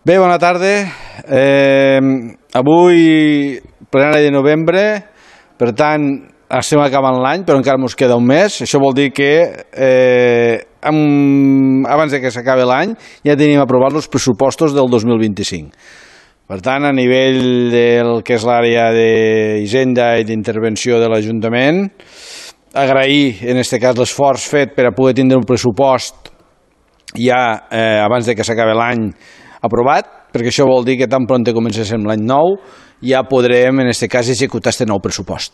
Bé, bona tarda. Avui, plenari de novembre, per tant, estem acabant l'any, però encara ens queda un mes. Això vol dir que abans que s'acabi l'any ja tenim aprovats els pressupostos del 2025. Per tant, a nivell del que és l'àrea d'Hisenda i d'intervenció de l'Ajuntament, agrair, en aquest cas, l'esforç fet per a poder tindre un pressupost ja abans que s'acabi l'any aprovat, perquè això vol dir que tan pront comencem l'any nou ja podrem, en aquest cas, executar aquest nou pressupost.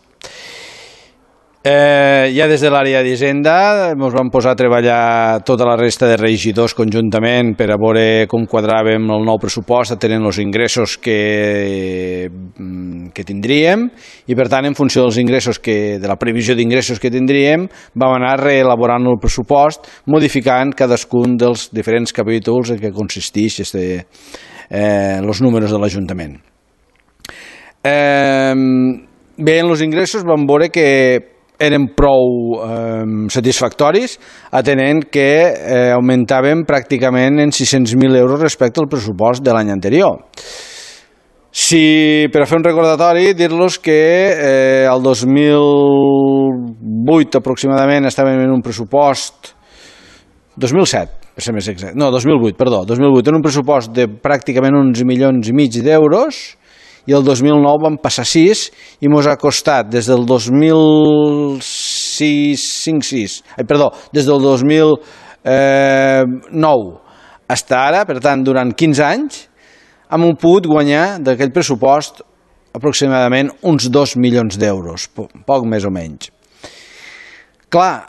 Ja des de l'àrea d'Hisenda ens vam posar a treballar tota la resta de regidors conjuntament per a veure com quadraven el nou pressupost atenent els ingressos que tindríem i, per tant, en funció dels ingressos de la previsió d'ingressos que tindríem, vam anar reelaborant el pressupost, modificant cadascun dels diferents capítols en què consisteix els números de l'Ajuntament. Bé, en els ingressos vam veure que eren prou satisfactoris, atenent que augmentaven pràcticament en 600.000 euros respecte al pressupost de l'any anterior. Per a fer un recordatori, dir-los que el 2008 aproximadament estàvem en un pressupost 2007, per ser més exacte, no, 2008, perdó, 2008, en un pressupost de pràcticament 11,5 milions d'euros, i el 2009 vam passar 6 i ens ha costat des del 2009 fins ara, per tant, durant 15 anys, hem pogut guanyar d'aquell pressupost aproximadament uns 2 milions d'euros, poc més o menys. Clar,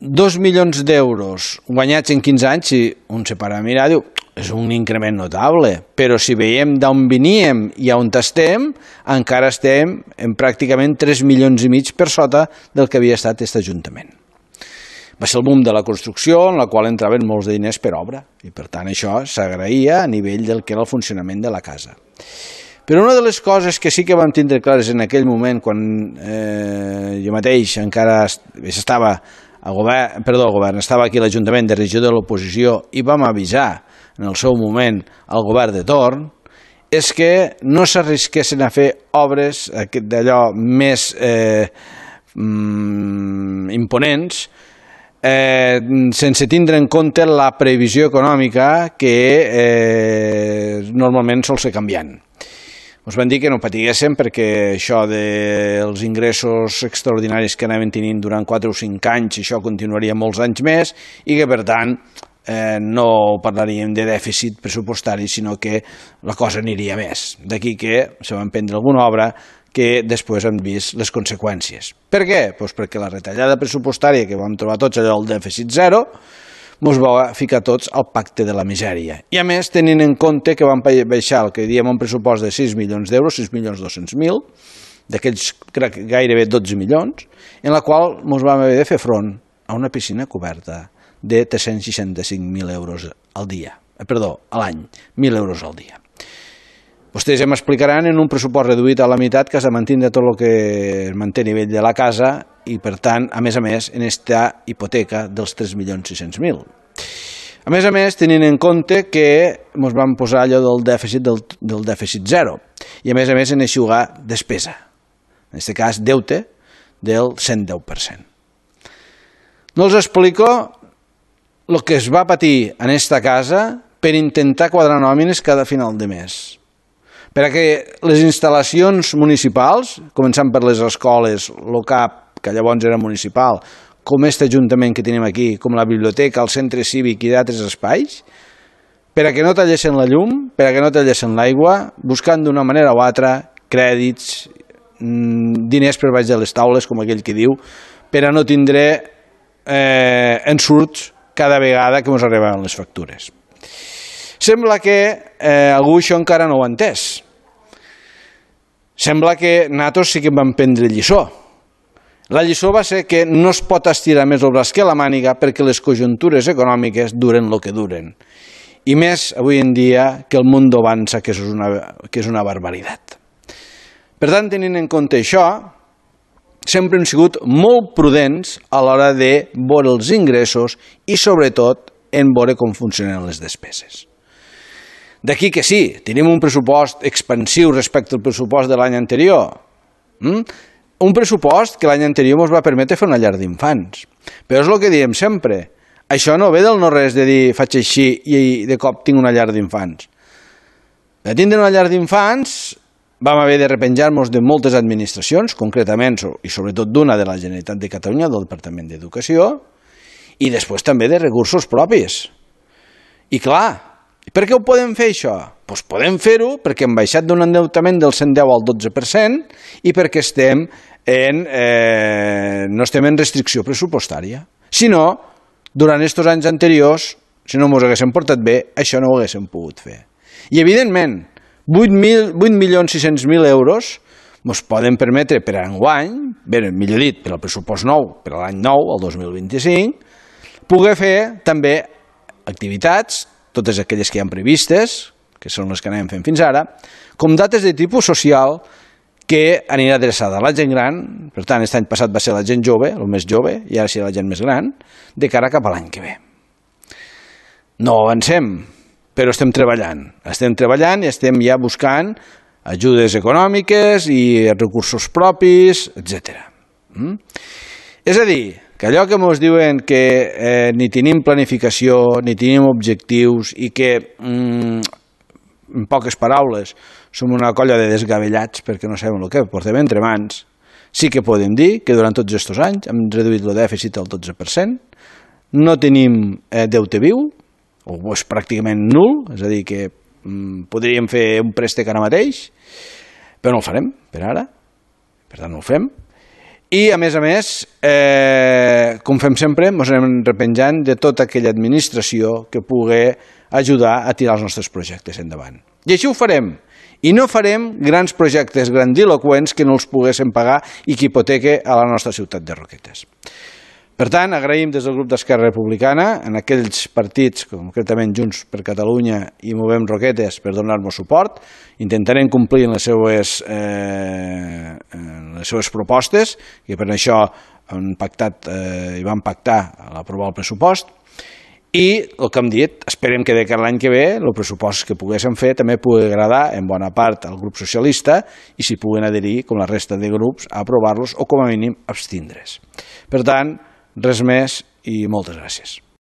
2 milions d'euros guanyats en 15 anys, si un se para a mirar, diu, és un increment notable, però si veiem d'on veníem i on estem, encara estem en pràcticament 3,5 milions per sota del que havia estat aquest Ajuntament. Va ser el boom de la construcció, en la qual entraven molts diners per obra, i per tant això s'agraïa a nivell del que era el funcionament de la casa. Però una de les coses que sí que vam tindre clares en aquell moment, quan jo mateix encara estava estava aquí a l'Ajuntament de regidor de l'oposició i vam avisar en el seu moment al govern de torn, és que no s'arrisquessin a fer obres d'allò més imponents sense tindre en compte la previsió econòmica que normalment sol ser canviant. Ens van dir que no patiguéssim perquè això dels ingressos extraordinaris que anaven tenint durant 4 o 5 anys, això continuaria molts anys més i que, per tant, no parlaríem de dèficit pressupostari, sinó que la cosa aniria més. D'aquí que se va emprendre alguna obra que després hem vist les conseqüències. Per què? Doncs perquè la retallada pressupostària que vam trobar tots, allò del dèficit zero, ens va ficar tots al pacte de la misèria. I a més, tenint en compte que vam baixar el que diem un pressupost de 6 milions d'euros, 6.200.000, d'aquells crec gairebé 12 milions, en la qual ens vam haver de fer front a una piscina coberta de 365.000 euros al dia. Perdó, a l'any, 1.000 euros al dia. Vostès ja m'explicaran en un pressupost reduït a la meitat que has de mantenir tot el que es manté a nivell de la casa i, per tant, a més, en esta hipoteca dels 3.600.000. A més, tenint en compte que ens vam posar allò del dèficit zero i, a més, en eixugar despesa. En aquest cas, deute del 110%. No els explico el que es va patir en aquesta casa per intentar quadrar nòmines cada final de mes. Perquè les instal·lacions municipals, començant per les escoles, el CAP, que llavors era municipal, com aquest ajuntament que tenim aquí, com la biblioteca, el centre cívic i d'altres espais, per a que no tallessin la llum, per a que no tallessin l'aigua, buscant d'una manera o altra crèdits, diners per baix de les taules, com aquell que diu, per a no tindre ensurts cada vegada que ens arribaven les factures. Sembla que algú això encara no ho ha entès. Sembla que nosaltres sí que vam prendre lliçó. La lliçó va ser que no es pot estirar més el braç que la màniga perquè les conjuntures econòmiques duren el que duren. I més avui en dia que el món avança, que és una barbaritat. Per tant, tenint en compte això, sempre hem sigut molt prudents a l'hora de veure els ingressos i, sobretot, en veure com funcionen les despeses. D'aquí que sí, tenim un pressupost expansiu respecte al pressupost de l'any anterior. Un pressupost que l'any anterior ens va permetre fer una llar d'infants. Però és el que diem sempre. Això no ve del no-res de dir faig així i de cop tinc una llar d'infants. De tindre una llar d'infants vam haver de repenjar-nos de moltes administracions, concretament i sobretot d'una de la Generalitat de Catalunya, del Departament d'Educació, i després també de recursos propis. I clar, per què ho podem fer això? Doncs podem fer-ho perquè hem baixat d'un endeutament del 110 al 12% i perquè no estem en restricció pressupostària. Si no, durant aquests anys anteriors, si no ens haguéssim portat bé, això no ho haguéssim pogut fer. I evidentment, 8.600.000 euros ens poden permetre per enguany, millor dit, per al pressupost nou, per a l'any nou, el 2025, poder fer també activitats, totes aquelles que hi ha previstes, que són les que anem fent fins ara, com dates de tipus social que anirà adreçada a la gent gran, per tant, aquest any passat va ser la gent jove, el més jove, i ara serà la gent més gran, de cara cap a l'any que ve. No avancem, però estem treballant i estem ja buscant ajudes econòmiques i recursos propis, etc. És a dir, que allò que ens diuen que ni tenim planificació, ni tenim objectius i que, en poques paraules, som una colla de desgavellats perquè no sabem el que portem entre mans, sí que podem dir que durant tots aquests anys hem reduït el dèficit al 12%, no tenim deute viu, o és pràcticament nul, és a dir, que podríem fer un préstec ara mateix, però no el farem per ara, per tant no el fem. I, a més, com fem sempre, ens anem repenjant de tota aquella administració que pugui ajudar a tirar els nostres projectes endavant. I així ho farem. I no farem grans projectes grandiloqüents que no els poguéssim pagar i que hipoteque a la nostra ciutat de Roquetes. Per tant, agraïm des del grup d'Esquerra Republicana en aquells partits, concretament Junts per Catalunya i Movem Roquetes, per donar-nos suport. Intentarem complir les seues propostes, i per això vam pactar l'aprovar el pressupost. I el que hem dit, esperem que de cara a l'any que ve el pressupost que poguéssim fer també pugui agradar en bona part al grup socialista i s'hi puguin adherir, com la resta de grups, a aprovar-los o com a mínim abstindre's. Per tant, res més i moltes gràcies.